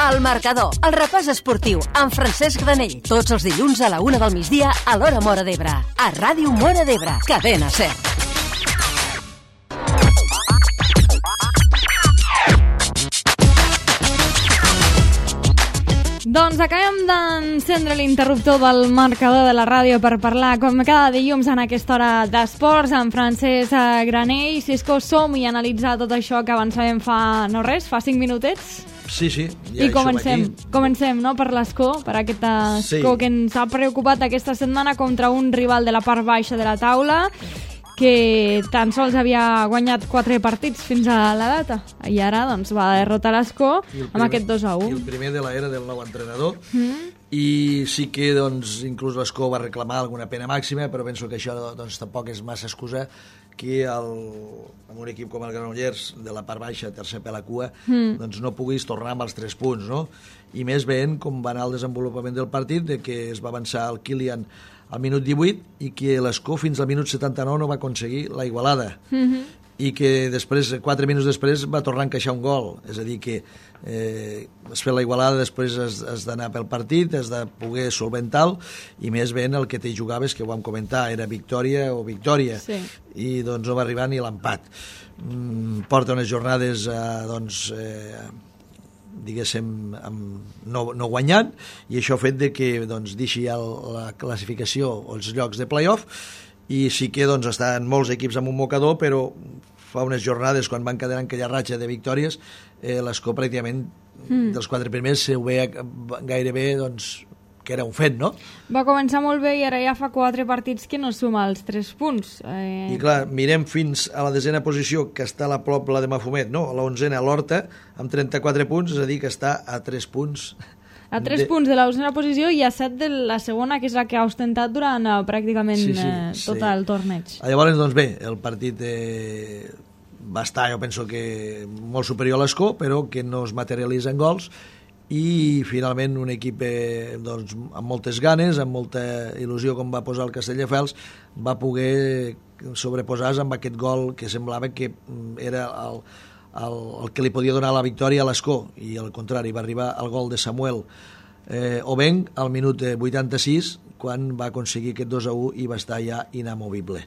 El Marcador, el repàs esportiu amb Francesc Granell. Tots els dilluns a la 1 del migdia a l'Hora Móra d'Ebre. A Ràdio Móra d'Ebre, Cadena SER. Doncs acabem d'encendre l'interruptor del marcador de la ràdio per parlar, com cada dilluns en aquesta hora d'esports, amb Francesc Granell. Cisco, som i analitzar tot això que avançàvem fa 5 minutets. Sí, ja i comencem, no?, per l'Escó, per aquest Escó que ens ha preocupat aquesta setmana contra un rival de la part baixa de la taula, que tan sols havia guanyat 4 partits fins a la data, i ara doncs va derrotar l'Escó amb aquest 2-1. I el primer de l'era del nou entrenador, i sí que doncs, inclús l'Escó va reclamar alguna pena màxima, però penso que això doncs, tampoc és massa excusa que amb un equip com el Granollers, de la part baixa, tercer per la cua, doncs no puguis tornar amb els 3 punts, no? I més veient com va anar el desenvolupament del partit, de que es va avançar el Kilian al minut 18 i que l'Escó fins al minut 79 no va aconseguir la igualada. I que després, 4 minuts després, va tornar a encaixar un gol. És a dir, que es fer la igualada, després has d'anar pel partit, has de poder solventar-lo, i més ben el que t'hi jugaves, que ho vam comentar, era victòria o victòria. Sí. I doncs no va arribar ni l'empat. Porta unes jornades, diguéssim, no guanyant, i això ha fet de que doncs, deixi ja la classificació o els llocs de play-off, i sí que doncs, estan molts equips amb un mocador, però fa unes jornades, quan van quedar en aquella ratxa de victòries, l'Escó pràcticament dels 4 primers se ho veia gairebé doncs, que era un fet, no? Va començar molt bé i ara ja fa 4 partits que no suma els 3 punts. I clar, mirem fins a la 10a posició, que està a la prop la de Mafumet, no? A la 11a l'Horta, amb 34 punts, és a dir, que està a 3 punts. A 3 punts de la 11a posició i a 7 de la segona, que és la que ha ostentat durant pràcticament tot el torneig. Llavors, doncs bé, el partit va estar, jo penso que molt superior a l'Escó, però que no es materialitza en gols, i finalment un equip doncs, amb moltes ganes, amb molta il·lusió, com va posar el Castelldefels, va poder sobreposar-se amb aquest gol que semblava que era el que li podia donar la victòria a l'Escó, i al contrari, va arribar el gol de Samuel Obenc al minut 86, quan va aconseguir aquest 2-1 i va estar ja inamovible.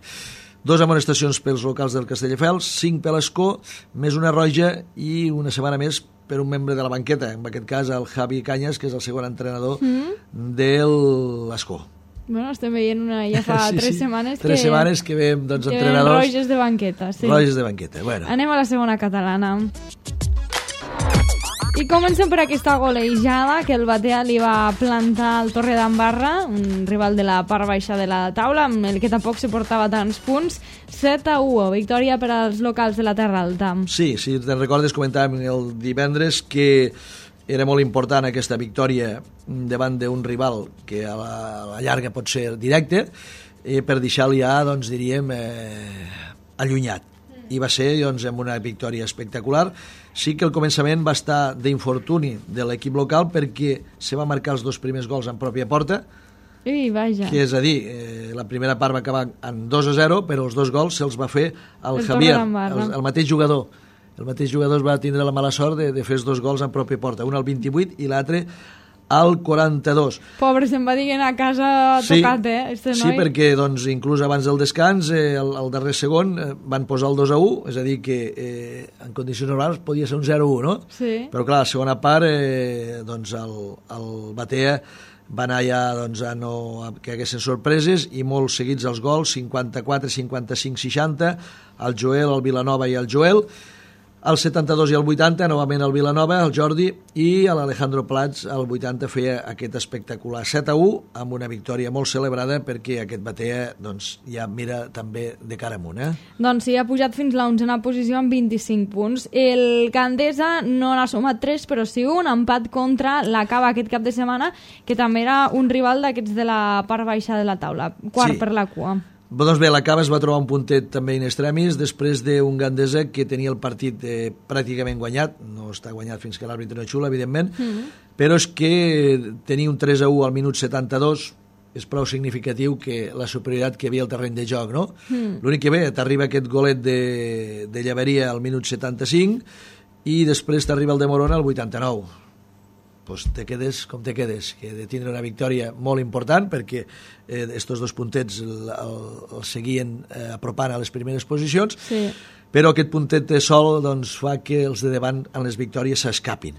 2 amonestacions pels locals del Castelldefels, 5 per l'Escó, més una roja i una setmana més per un membre de la banqueta, en aquest cas el Javi Cañas, que és el segon entrenador de l'Escó. Bueno, estem veient ja fa 3 setmanes que... 3 setmanes que veiem doncs, entrenadors... roges de banqueta, sí. Roges de banqueta, bueno. Anem a la segona catalana. I comencem per aquesta golejada que el Batea li va plantar al Torredembarra, un rival de la part baixa de la taula, amb el que tampoc se portava tants punts. 7-1, victòria per als locals de la Terra Alta. Sí, si te'n recordes, comentàvem el divendres que era molt important aquesta victòria davant d'un rival que a la llarga pot ser directe, per deixar-lo ja, doncs, diríem, allunyat. I va ser doncs, amb una victòria espectacular. Sí que el començament va estar d'infortuni de l'equip local, perquè se va marcar els 2 primers gols en pròpia porta, vaja. Que és a dir, la primera part va acabar en 2-0, però els 2 gols se'ls va fer el Javier, el mateix jugador. El mateix jugador va tindre la mala sort de fer els 2 gols en pròpia porta, un al 28 i l'altre al 42. Pobre, se'n va dient a casa tocat, este noi. Sí, perquè doncs, inclús abans del descans, el darrer segon, van posar el 2-1, és a dir, que en condicions normals podia ser un 0-1, no? Sí. Però clar, la segona part, doncs, el Batea va anar ja doncs, a que haguessin sorpreses, i molt seguits els gols, 54, 55, 60, el Joel, el Vilanova i el Joel. Al 72 i al 80, novament el Vilanova, el Jordi, i l'Alejandro Plats al 80 feia aquest espectacular 7-1, amb una victòria molt celebrada, perquè aquest Batea doncs, ja mira també de cara amunt. Doncs sí, ha pujat fins a la 11a posició amb 25 punts. El Gandesa no n'ha sumat 3, però sí un empat contra l'Acaba aquest cap de setmana, que també era un rival d'aquests de la part baixa de la taula, quart per la cua. Doncs bé, l'Acaba es va trobar un puntet també in extremis després d'un Gandesa que tenia el partit pràcticament guanyat, no està guanyat fins que l'àrbitre no xula, evidentment, però és que tenir un 3-1 al minut 72 és prou significatiu, que la superioritat que hi havia al terreny de joc, no? L'únic que bé, t'arriba aquest golet de Llaveria al minut 75 i després t'arriba el de Morona al 89. pues te quedes com te quedes, que de tindre una victòria molt important perquè estos 2 puntets el seguien apropant a les primeres posicions, sí. Però aquest puntet de sol doncs, fa que els de davant en les victòries s'escapin.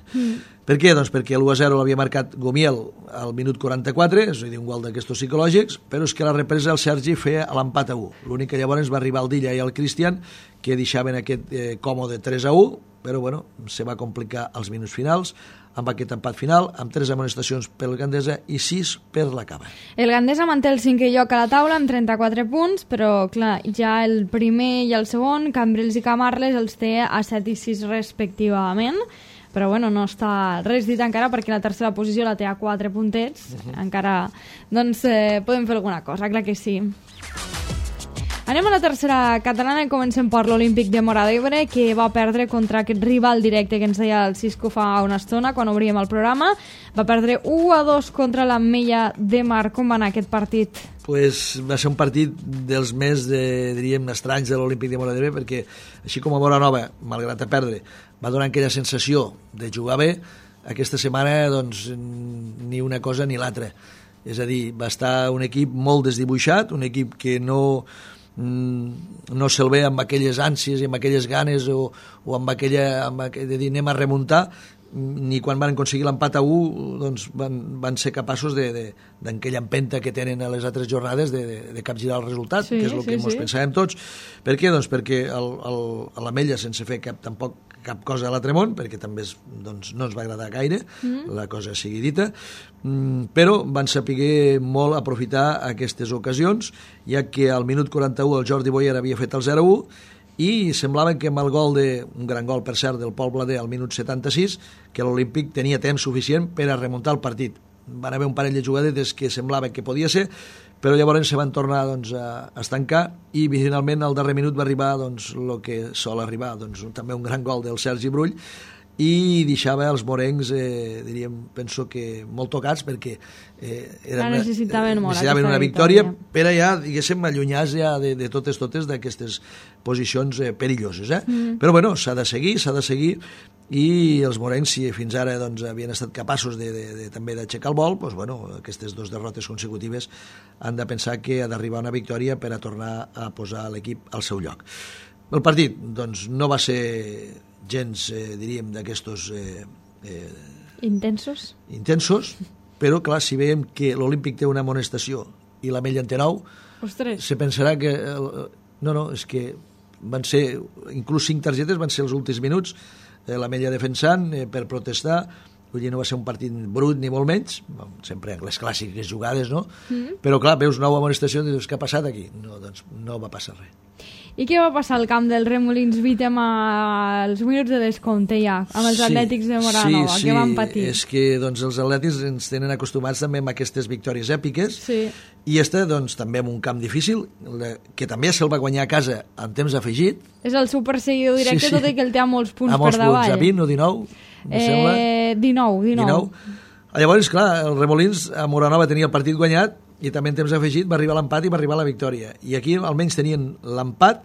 Per què? Doncs perquè l'1-0 l'havia marcat Gomiel al minut 44, és a dir, un gol d'aquestos psicològics, però és que la represa el Sergi feia l'empat a 1. L'únic que llavors va arribar el Dilla i el Cristian, que deixaven aquest còmode 3-1, però bueno, se va complicar als minuts finals, amb aquest empat final, amb 3 amonestacions pel Gandesa i 6 per la Cava. El Gandesa manté el 5è lloc a la taula amb 34 punts, però clar, ja el primer i el segon, Cambrils i Camarles, els té a 7 i 6 respectivament, però bueno, no està res dit encara perquè la tercera posició la té a 4 puntets, encara doncs podem fer alguna cosa, clar que sí. Anem a la tercera catalana i comencem per l'Olímpic de Móra d'Ebre, que va perdre contra aquest rival directe que ens deia el Cisco fa una estona quan obríem el programa. Va perdre 1-2 contra l'Ametlla de Mar. Com va anar aquest partit? Pues va ser un partit dels més, diríem, estranys de l'Olímpic de Móra d'Ebre, perquè així com a Móra Nova, malgrat perdre, va donar aquella sensació de jugar bé, aquesta setmana doncs ni una cosa ni l'altra. És a dir, va estar un equip molt desdibuixat, un equip que no se'l ve amb aquelles ànsies i amb aquelles ganes o amb aquella de dir anem a remuntar, ni quan van aconseguir l'empat a 1 doncs van ser capaços d'aquella empenta que tenen a les altres jornades de capgirar el resultat, que és el que ens pensàvem tots. Per què? Doncs perquè a l'Ametlla, sense fer tampoc cap cosa a l'altre món, perquè també doncs, no ens va agradar gaire, la cosa sigui dita, però van saber molt aprofitar aquestes ocasions, ja que al minut 41 el Jordi Boyer havia fet el 0-1 i semblava que amb el gol un gran gol per cert del Pol Blader al minut 76, que l'Olímpic tenia temps suficient per a remuntar el partit. Van haver un parell de jugadetes que semblava que podia ser, però llavors se van tornar doncs, a estancar i finalment al darrer minut va arribar doncs, el que sol arribar, doncs, també un gran gol del Sergi Brull, i deixava els morencs, diríem, penso que molt tocats perquè necessitaven una victòria per a ja, diguéssim, allunyar-se ja de totes d'aquestes posicions perilloses. Però bueno, s'ha de seguir i els morencs, si fins ara doncs, havien estat capaços també d'aixecar el vol, doncs, bueno, aquestes 2 derrotes consecutives han de pensar que ha d'arribar una victòria per a tornar a posar l'equip al seu lloc. El partit doncs, no va ser gens, diríem, d'aquestos intensos, però clar, si veiem que l'Olímpic té una amonestació i l'Ametlla en té 9, se pensarà que no, és que van ser, inclús 5 targetes van ser els últims minuts, l'Ametlla defensant per protestar. Vull dir, no va ser un partit brut ni molt menys, sempre les clàssiques jugades, no? Però clar, veus 9 amonestacions i dius, què ha passat aquí? No, doncs no va passar res. I què va passar al camp del Remolins Vítem als minuts de descompte ja, amb els Atlètics de Móra Nova? Què van patir? És que doncs, els Atlètics ens tenen acostumats també amb aquestes victòries èpiques, i doncs, també amb un camp difícil, que també se'l va guanyar a casa en temps afegit. És el superseguidor directe, tot i que el té a molts punts per davall. A 20 o 19, em sembla. 19. Llavors, clar, el Remolins a Móra Nova tenia el partit guanyat i també en temps afegit va arribar l'empat i va arribar la victòria. I aquí almenys tenien l'empat,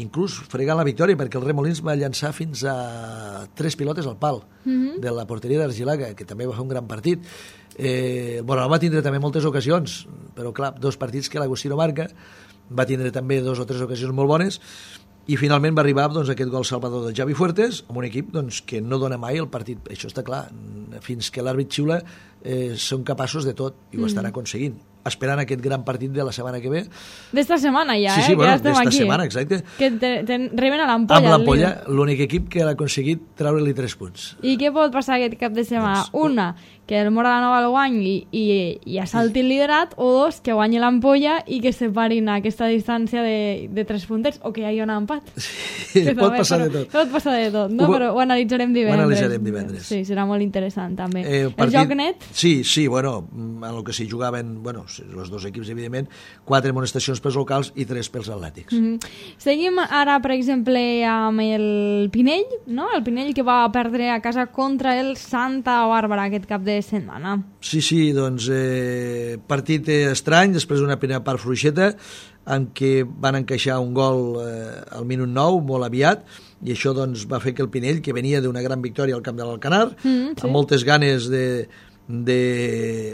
inclús fregant la victòria, perquè el Remolins va llançar fins a 3 pilotes al pal de la porteria d'Argilaga, que també va fer un gran partit. El Móra Nova va tindre també moltes ocasions, però clar, 2 partits que l'Agustí no marca, va tindre també 2 o 3 ocasions molt bones, i finalment va arribar doncs, aquest gol salvador de Javi Fuertes amb un equip doncs, que no dona mai el partit, això està clar, fins que l'àrbit xiula són capaços de tot i ho estan aconseguint, esperant aquest gran partit de la setmana que ve. D'esta setmana ja, sí, bueno, que d'esta setmana, exacte. Que reben a l'Ampolla. Amb l'Ampolla, l'únic equip que ha aconseguit treure-li 3 punts. I què pot passar aquest cap de setmana? Una, que el Móra Nova el guanyi i assalti el liderat, o 2, que guanyi l'Ampolla i que separin aquesta distància de 3 puntets, o que hi hagi un empat. Sí, pot passar de tot. Pot passar de tot, no? Però ho analitzarem divendres. Sí, serà molt interessant també. El joc net? Sí, bueno, en el que s'hi jugaven, bueno, els dos equips, evidentment, 4 amonestacions pels locals i 3 pels atlètics. Seguim ara, per exemple, amb el Pinell, no? El Pinell que va perdre a casa contra el Santa Bàrbara aquest cap de setmana. Sí, doncs partit estrany, després d'una primera part fluixeta, en què van encaixar un gol al minut 9, molt aviat, i això doncs, va fer que el Pinell, que venia d'una gran victòria al camp de l'Alcanar, amb moltes ganes de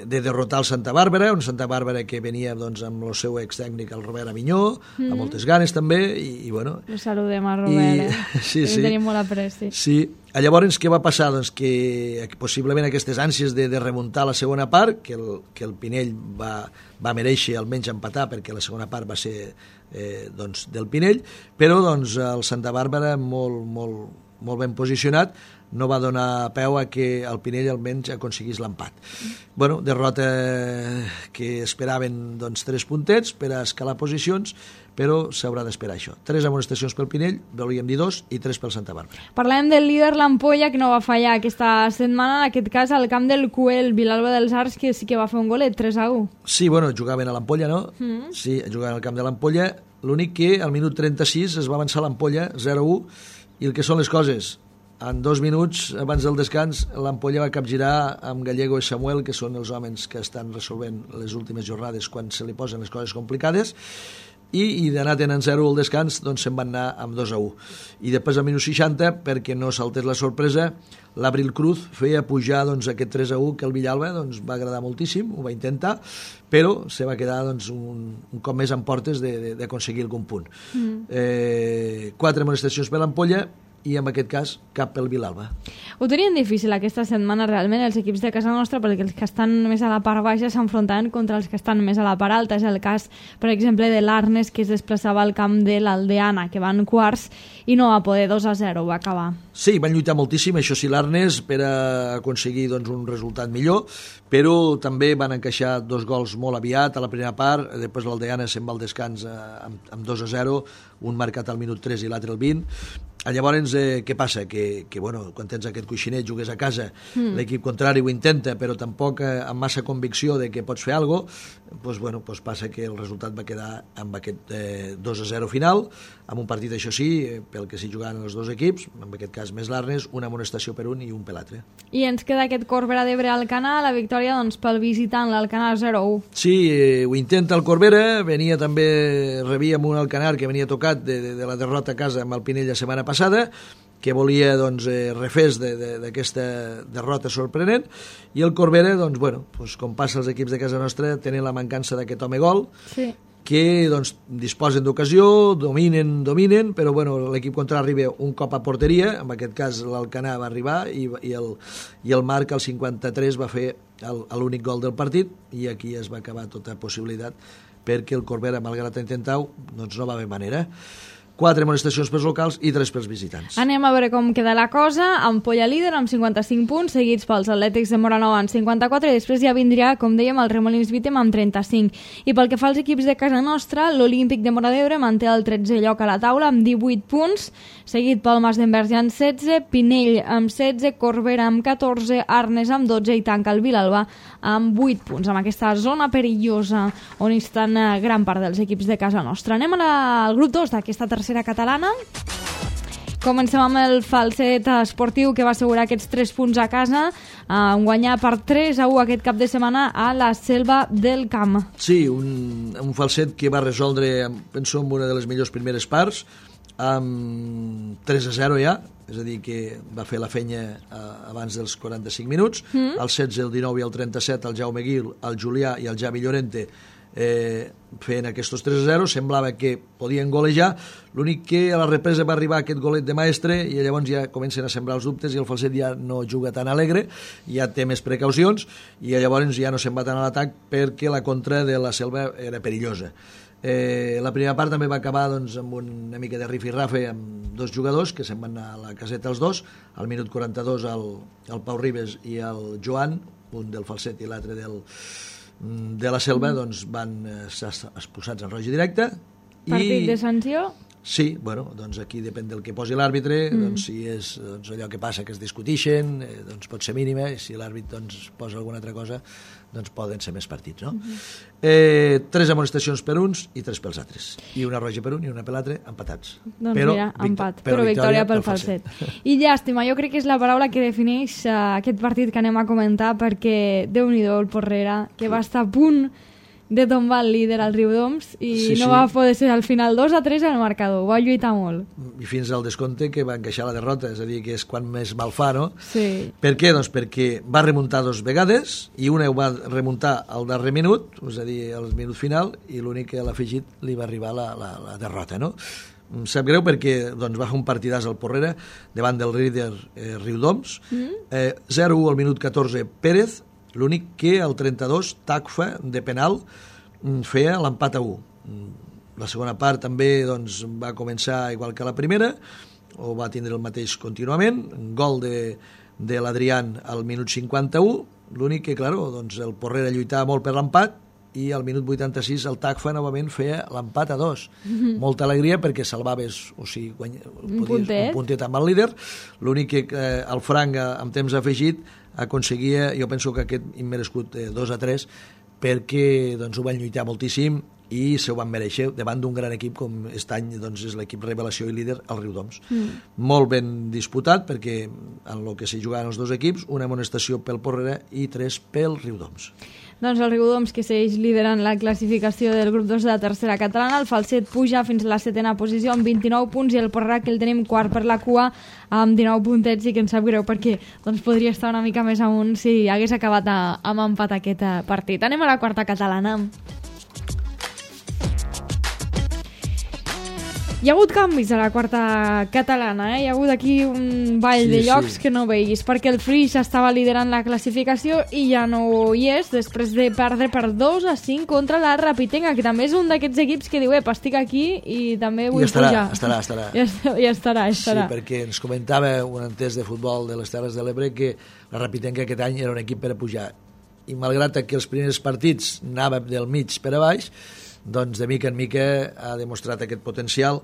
derrotar el Santa Bàrbara, un Santa Bàrbara que venia doncs, amb el seu ex-tècnic, el Robert Avinyó, amb moltes ganes també, i bueno... Lo saludem a Robert, sí. Tenim molt apreci. Sí, llavors què va passar? Doncs que possiblement aquestes ànsies de remuntar la segona part, que el Pinell va mereixer almenys empatar, perquè la segona part va ser doncs, del Pinell, però doncs, el Santa Bàrbara molt ben posicionat, no va donar peu a que el Pinell almenys aconseguís l'empat. Bueno, derrota que esperaven doncs, 3 puntets per a escalar posicions, però s'haurà d'esperar això. 3 amonestacions pel Pinell, volíem dir 2, i 3 pel Santa Bàrbara. Parlem del líder l'Ampolla, que no va fallar aquesta setmana, en aquest cas al camp del Cuel, Vilalba dels Arcs, que sí que va fer un golet, 3-1. Sí, bueno, jugaven a l'Ampolla, no? Sí, jugaven al camp de l'Ampolla, l'únic que al minut 36 es va avançar l'Ampolla, 0-1, i el que són les coses... En 2 minuts, abans del descans, l'Ampolla va capgirar amb Gallego i Samuel, que són els homes que estan resolvent les últimes jornades quan se li posen les coses complicades, i d'anar tenint 0 al descans, doncs se'n van anar amb 2-1. I després, al minut 60, perquè no saltés la sorpresa, l'Abril Cruz feia pujar doncs, aquest 3-1 que el Villalba doncs, va agradar moltíssim, ho va intentar, però se va quedar doncs, un cop més en portes d'aconseguir algun punt. 4 amonestacions per l'Ampolla, i en aquest cas cap pel Vilalba. Ho tenien difícil aquesta setmana realment els equips de casa nostra, perquè els que estan més a la part baixa s'enfrontaven contra els que estan més a la part alta. És el cas, per exemple, de l'Arnes, que es desplaçava al camp de l'Aldeana, que van quarts i no va poder, 2-0 va acabar. Sí, van lluitar moltíssim, això sí, l'Arnes, per a aconseguir doncs, un resultat millor, però també van encaixar 2 gols molt aviat a la primera part, després l'Aldeana se'n va al descans amb 2-0, un marcat al minut 3 i l'altre al 20. Llavors, què passa? Que bueno, quan tens aquest coixinet, jugues a casa, l'equip contrari ho intenta, però tampoc amb massa convicció de que pots fer alguna cosa, bueno, passa que el resultat va quedar amb aquest 2-0 final, amb un partit, això sí, pel que s'hi jugaven els dos equips, en aquest cas més l'Arnes, una amonestació per un i un per l'altre. I ens queda aquest Corbera d'Ebre al Alcanar, la victòria doncs, pel visitant, l'Alcanar 0-1. Sí, ho intenta el Corbera, rebia amb un Alcanar que venia tocat de la derrota a casa amb el Pinell la setmana passada, que volia doncs, refés d'aquesta derrota sorprenent, i el Corbera, doncs, bueno, com passa als equips de casa nostra, tenen la mancança d'aquest home gol, sí, que doncs, disposen d'ocasió, dominen, però bueno, l'equip contrari arriba un cop a porteria, en aquest cas l'Alcanar va arribar i el Marc al 53 va fer l'únic gol del partit, i aquí es va acabar tota possibilitat, perquè el Corbera, malgrat intentar-ho, doncs no va haver manera. 4 amonestacions pels locals i 3 pels visitants. Anem a veure com queda la cosa. Ampolla líder amb 55 punts, seguits pels Atlètics de Móra-Nova amb 54, i després ja vindria, com dèiem, el Remolins Vítem amb 35. I pel que fa als equips de casa nostra, l'Olímpic de Móra d'Ebre manté el 13è lloc a la taula amb 18 punts, seguit pel Mas d'Enverge amb 16, Pinell amb 16, Corbera amb 14, Arnes amb 12 i tanca el Vilalba amb 8 punts, amb aquesta zona perillosa on estan gran part dels equips de casa nostra. Anem al grup 2 d'aquesta tercera catalana. Comencem amb el Falset esportiu, que va assegurar aquests 3 punts a casa, guanyar per 3-1 aquest cap de setmana a la Selva del Camp. Sí, un Falset que va resoldre, penso, en una de les millors primeres parts, amb 3-0 ja, és a dir, que va fer la fenya abans dels 45 minuts, el 16, el 19 i el 37, el Jaume Guil, el Julià i el Javi Llorente fent aquests 3-0, semblava que podien golejar, l'únic que a la represa va arribar aquest golet de Maestre i llavors ja comencen a sembrar els dubtes i el Falset ja no juga tan alegre, ja té més precaucions i llavors ja no se'n va tant a l'atac perquè la contra de la Selva era perillosa. La primera part també va acabar doncs, amb una mica de rifirrafe amb 2 jugadors que se'n van anar a la caseta els dos, al minut 42 el Pau Ribes i el Joan, un del Falset i l'altre de la Selva, doncs van ser expulsats en roja directa. Partit de sanció? Sí, bueno, doncs aquí depèn del que posi l'àrbitre, doncs si és allò que passa que es discutixen, doncs pot ser mínima, i si l'àrbitre posa alguna altra cosa, doncs poden ser més partits, no? 3 amonestacions per uns i 3 pels altres. I una roja per un i una per l'altre, empatats. Doncs mira, empat, però victòria pel Falset. I llàstima, jo crec que és la paraula que defineix aquest partit que anem a comentar, perquè Déu-n'hi-do el Porrera, que va estar a punt de tombar el líder al Riudoms i no va poder ser al final 2-3 al marcador, va lluitar molt. I fins al descompte que va encaixar la derrota, és a dir, que és quan més mal fa, no? Sí. Per què? Doncs perquè va remuntar 2 vegades i una ho va remuntar al darrer minut, és a dir, al minut final, i l'únic que a l'afegit li va arribar la derrota, no? Em sap greu perquè doncs, va fer un partidàs al Porrera davant del líder Riudoms, 0-1 al minut 14 Pérez, l'únic que al 32 Tacfa de penal feia l'empat a 1. La segona part també doncs, va començar igual que la primera, o va tindre el mateix contínuament, gol de l'Adrián al minut 51, l'únic que, clar, doncs, el Porrera lluitava molt per l'empat i al minut 86 el Tacfa novament feia l'empat a 2. Molta alegria perquè salvaves, o sigui, un puntet amb el líder, l'únic que el Franc amb temps afegit aconseguia, jo penso que aquest immerescut 2-3, perquè doncs, ho van lluitar moltíssim i se ho van mereixer davant d'un gran equip com aquest any doncs, és l'equip revelació i líder, el Riudoms. Molt ben disputat perquè en el que s'hi jugaven els dos equips, una amonestació pel Porrera i 3 pel Riudoms. Doncs el Riudoms, que segueix liderant la classificació del grup 2 de la tercera catalana, el Falset puja fins a la 7ª posició amb 29 punts i el Porrera, que el tenim quart per la cua amb 19 puntets, i que ens sap greu perquè doncs, podria estar una mica més amunt si hagués acabat amb empat aquest partit. Anem a la quarta catalana. Hi ha hagut canvis a la quarta catalana, Hi ha hagut aquí un ball de llocs que no veiguis, perquè el Flix estava liderant la classificació i ja no hi és, després de perdre per 2-5 contra la Rapitenga, que també és un d'aquests equips que diu, estic aquí i també vull pujar. Estarà. Ja estarà. Sí, perquè ens comentava un entès de futbol de les Terres de l'Ebre que la Rapitenga aquest any era un equip per a pujar. I malgrat que els primers partits anava del mig per a baix, doncs de mica en mica ha demostrat aquest potencial,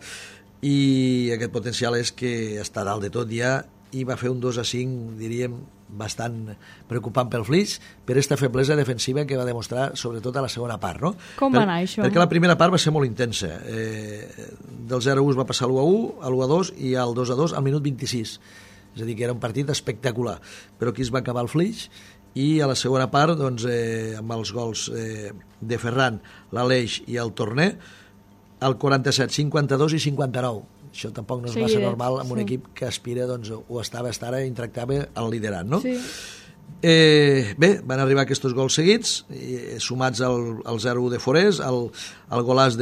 i aquest potencial és que està dalt de tot ja, i va fer un 2-5, diríem, bastant preocupant pel Flix, per aquesta feblesa defensiva que va demostrar sobretot a la segona part, no? Com va anar això? Perquè la primera part va ser molt intensa. Del 0-1 es va passar a l'1-1, a l'1-2 i al 2-2 al minut 26. És a dir, que era un partit espectacular. Però aquí es va acabar el Flix, i a la segona part, doncs, amb els gols de Ferran, l'Aleix i el Torner, al 47, 52 i 59. Això tampoc no és massa normal amb un equip que aspira, doncs, o estava ara i tractava el liderat, no? Sí. Bé, van arribar aquests gols seguits, sumats al 0-1 de Forés, al golàs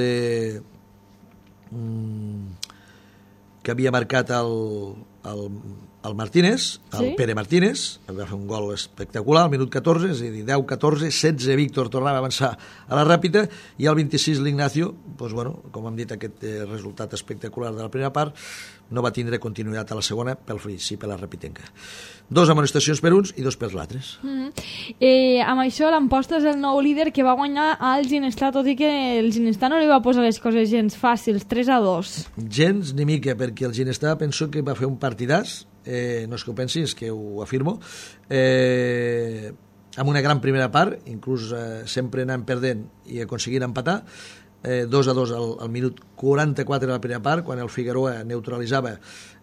que havia marcat el Martínez, el Pere Martínez, va fer un gol espectacular al minut 14, és a dir, 10-14, 16 Víctor tornava a avançar a la ràpida, i al 26 l'Ignacio, doncs, bueno, com hem dit, aquest resultat espectacular de la primera part no va tindre continuïtat a la segona pel Flix, sí per la Rapitenga. 2 amonestacions per uns i 2 per l'altres. Amb això l'Amposta és el nou líder que va guanyar al Ginestà, tot i que el Ginestà no li va posar les coses gens fàcils, 3-2. Gens ni mica, perquè el Ginestà penso que va fer un partidàs, no és que ho pensi, és que ho afirmo, amb una gran primera part, inclús sempre anant perdent i aconseguint empatar, 2-2 al minut 44 de la primera part, quan el Figueroa neutralitzava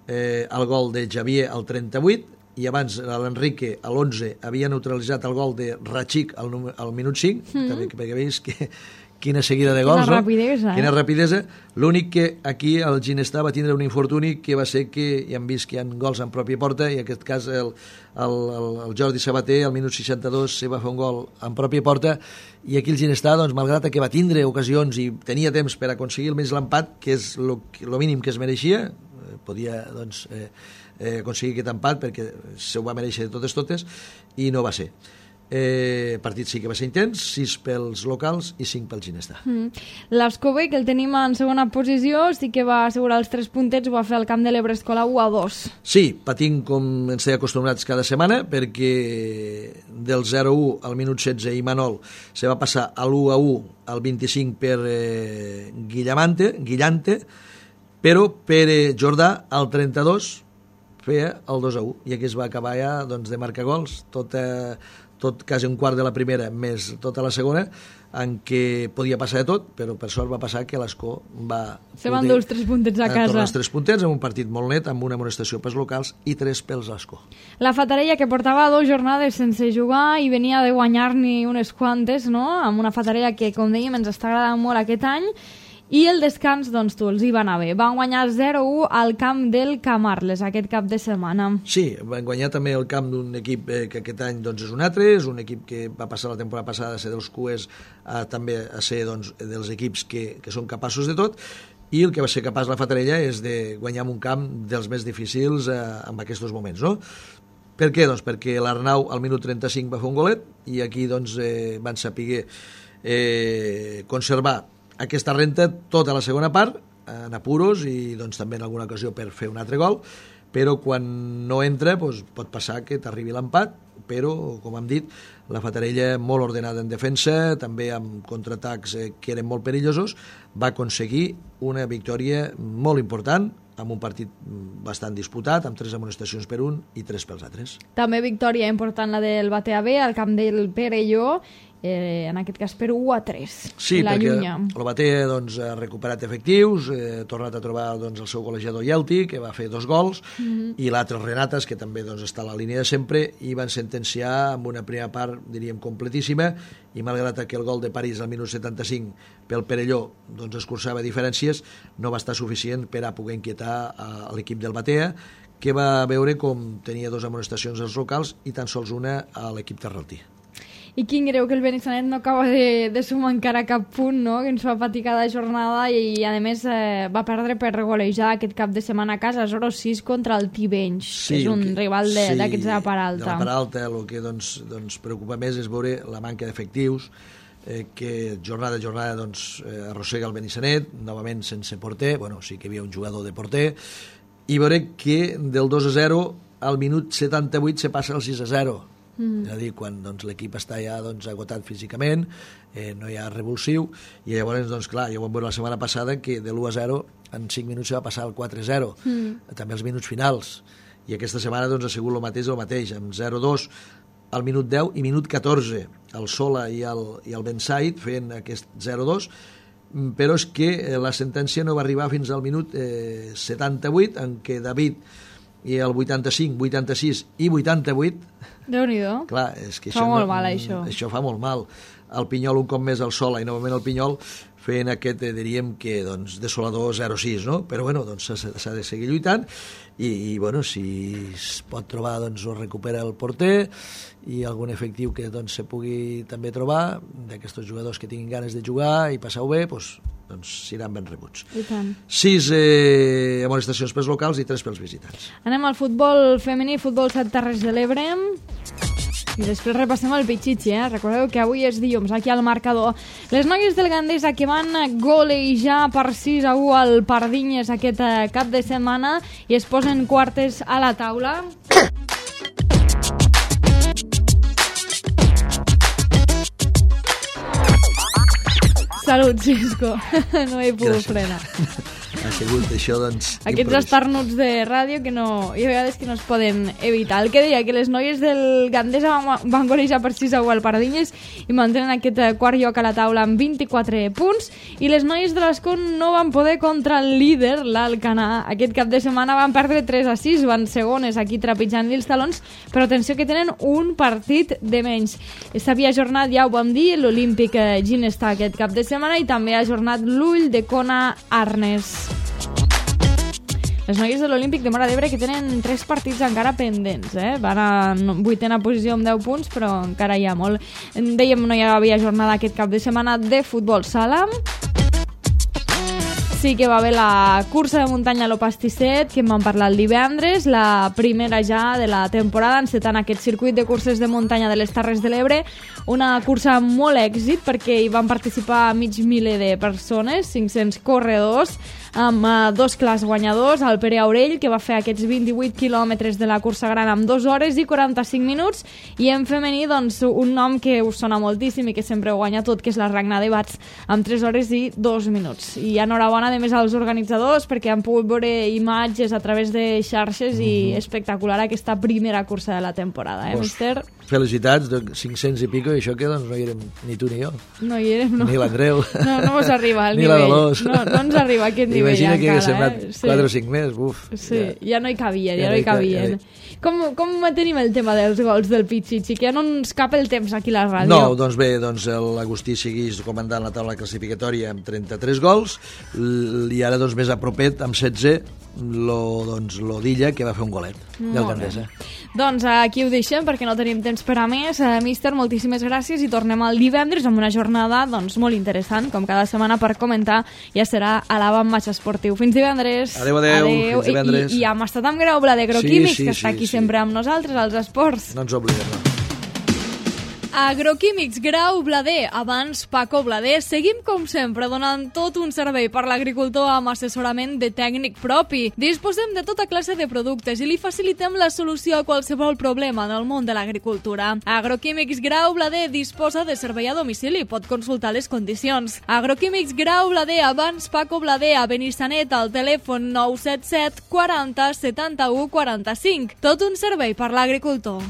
el gol de Javier al 38, i abans l'Enrique a l'11 havia neutralitzat el gol de Ratxic al minut 5, també, perquè veus que quina seguida de gols, quina rapidesa. L'únic que aquí el Ginestà va tindre un infortuni que va ser que ja hem vist que hi ha gols en pròpia porta, i en aquest cas el Jordi Sabater al minut 62 se va fer un gol en pròpia porta, i aquí el Ginestà, doncs, malgrat que va tindre ocasions i tenia temps per aconseguir almenys l'empat, que és el mínim que es mereixia, podia doncs, aconseguir aquest empat perquè se ho va mereixer de totes, i no va ser. El partit sí que va ser intens, 6 pels locals i 5 pel Ginestà. L'Escobé, que el tenim en segona posició, sí que va assegurar els 3 puntets, ho va fer al camp de l'Ebre Escola 1-2. Sí, patint com ens té acostumats cada setmana, perquè del 0-1 al minut 16 Imanol se va passar a l'1-1 al 25 per Guillante, però Pere Jordà, al 32, feia el 2-1, i aquí es va acabar ja doncs, de marcar gols, tot quasi un quart de la primera, més tota la segona, en què podia passar de tot, però per sort va passar que l'Escó va... Se van dur els 3 puntets a casa. Tornar els 3 puntets en un partit molt net, amb una amonestació pels locals i 3 pels l'Escó. La Fatarella, que portava 2 jornades sense jugar i venia de guanyar-n'hi unes quantes, no? Amb una Fatarella que, com dèiem, ens està agradant molt aquest any. I el descans, doncs tu, els hi va anar bé. Van guanyar 0-1 al camp del Camarles aquest cap de setmana. Sí, van guanyar també el camp d'un equip que aquest any doncs, és un altre, és un equip que va passar la temporada passada a ser dels cues també a ser doncs, dels equips que són capaços de tot, i el que va ser capaç la Fatarella és de guanyar en un camp dels més difícils en aquests moments, no? Per què? Doncs perquè l'Arnau al minut 35 va fer un golet i aquí doncs, van saber conservar aquesta renta tota la segona part en apuros i doncs, també en alguna ocasió per fer un altre gol, però quan no entra doncs, pot passar que t'arribi l'empat, però com hem dit la Fatarella molt ordenada en defensa, també amb contraatacs que eren molt perillosos, va aconseguir una victòria molt important amb un partit bastant disputat, amb 3 amonestacions per un i 3 pels altres. També victòria important la del Batea B al camp del Perelló, en aquest cas per 1-3. Sí, perquè el Batea doncs, ha recuperat efectius, ha tornat a trobar doncs, el seu golejador Yelti, que va fer 2 gols, i l'altre Renates, que també doncs, està a la línia de sempre, i van sentenciar amb una primera part, diríem, completíssima, i malgrat que el gol de París al minut 75 pel Perelló doncs, escurçava diferències, no va estar suficient per a poder inquietar a l'equip del Batea, que va veure com tenia 2 amonestacions als locals i tan sols una a l'equip terraltí. I quin greu que el Benissanet no acaba de sumar encara cap punt, no? Que ens fa patir cada jornada i a més va perdre per golejar aquest cap de setmana a casa 0-6 contra el Tivenys, que és un rival d'aquests de la Paralta. De la Paralta, el que doncs, preocupa més és veure la manca d'efectius, que jornada a jornada doncs, arrossega el Benissanet, novament sense porter, bueno, sí que hi havia un jugador de porter, i veure que del 2-0 al minut 78 se passa al 6-0. És a dir, quan doncs, l'equip està ja doncs, agotat físicament, no hi ha revulsiu, i llavors, doncs, clar, ja ho vam veure la setmana passada que de l'1-0 en 5 minuts se va passar al 4-0, també els minuts finals, i aquesta setmana doncs, ha sigut el mateix, amb 0-2 al minut 10 i minut 14, el Sola i el Bensaid fent aquest 0-2, però és que la sentència no va arribar fins al minut 78, en què David i el 85, 86 i 88... Déu-n'hi-do. Clar, és que fa molt mal, això. Això fa molt mal. El Pinyol un cop més al Sola i novament el Pinyol fent aquest, diríem que, doncs, desolador 0-6, no? Però, bueno, doncs s'ha de seguir lluitant i bueno, si es pot trobar, doncs, ho recupera el porter i algun efectiu que, doncs, se pugui també trobar d'aquests jugadors que tinguin ganes de jugar i passar-ho bé, doncs seran ben rebuts. I tant. 6 amonestacions pels locals i 3 pels visitants. Anem al futbol femení, futbol 7 Terres de l'Ebre. I després repassem el Pichichi, Recordeu que avui és dilluns, aquí al marcador. Les noies del Gandesa que van golejar per 6-1 al Pardinyes aquest cap de setmana i es posen quartes a la taula. Salut, Xisco. No he pogut frenar. Ha sigut això, doncs... Aquests estarnuts de ràdio que no... Hi ha vegades que no es poden evitar. El que deia, que les noies del Gandesa van golejar per 6-1 al Pardinyes i mantenen aquest quart lloc a la taula amb 24 punts, i les noies de l'Escó no van poder contra el líder, l'Alcanar. Aquest cap de setmana van perdre 3-6, van segones aquí trepitjant-li els talons, però atenció que tenen un partit de menys. S'havia ajornat, ja ho vam dir, l'Olímpic Ginestà aquest cap de setmana i també ha ajornat l'Ull de Kona Arnes. Les noies de l'Olímpic de Móra d'Ebre que tenen 3 partits encara pendents, Van a 8a posició amb 10 punts, però encara hi ha molt. Dèiem, no hi havia jornada aquest cap de setmana de futbol sala. Sí que va haver la cursa de muntanya a l'Opastisset, que en vam parlar el divendres, la primera ja de la temporada, encetant aquest circuit de curses de muntanya de les Terres de l'Ebre. Una cursa amb molt èxit, perquè hi van participar mig miler de persones, 500 corredors, amb dos clars guanyadors, el Pere Aurell, que va fer aquests 28 quilòmetres de la cursa gran amb 2 hores i 45 minuts, i en femení, doncs, un nom que us sona moltíssim i que sempre ho guanya tot, que és la Ragnar de Bats, amb 3 hores i 2 minuts. I enhorabona, a més, als organitzadors, perquè han pogut veure imatges a través de xarxes i espectacular aquesta primera cursa de la temporada, mister? Felicitats, 500 i pico, i això que doncs no hi érem ni tu ni jo. No hi érem, no. Ni l'Andreu. No us arriba al nivell. Ni la Dolors. No ens arriba aquest nivell encara. Imagina que hagués semblat 4 o 5 més, uf. Sí, ja no hi cabien, Com tenim el tema dels gols del Pichichi, que ja no ens cap el temps aquí a la ràdio? No, doncs bé, l'Agustí segueix comandant la taula classificatòria amb 33 gols, i ara doncs més a propet amb 16 l'Odilla, que va fer un golet del Gandesa. Doncs aquí ho deixem perquè no tenim temps per a més. Míster, moltíssimes gràcies i tornem el divendres amb una jornada molt interessant, com cada setmana, per comentar. Ja serà a l'Avantmatx Esportiu. Fins divendres. Adéu. Fins divendres. I hem estat amb Grau Blader Agroquímics, que està aquí sempre amb nosaltres, als esports. No ens oblidem, no. Agroquímics Grau Blader, abans Paco Blader. Seguim, com sempre, donant tot un servei per l'agricultor amb assessorament de tècnic propi. Disposem de tota classe de productes i li facilitem la solució a qualsevol problema en el món de l'agricultura. Agroquímics Grau Blader disposa de servei a domicili. Pot consultar les condicions. Agroquímics Grau Blader, abans Paco Blader, a Benissanet, al telèfon 977 40 71 45. Tot un servei per l'agricultor.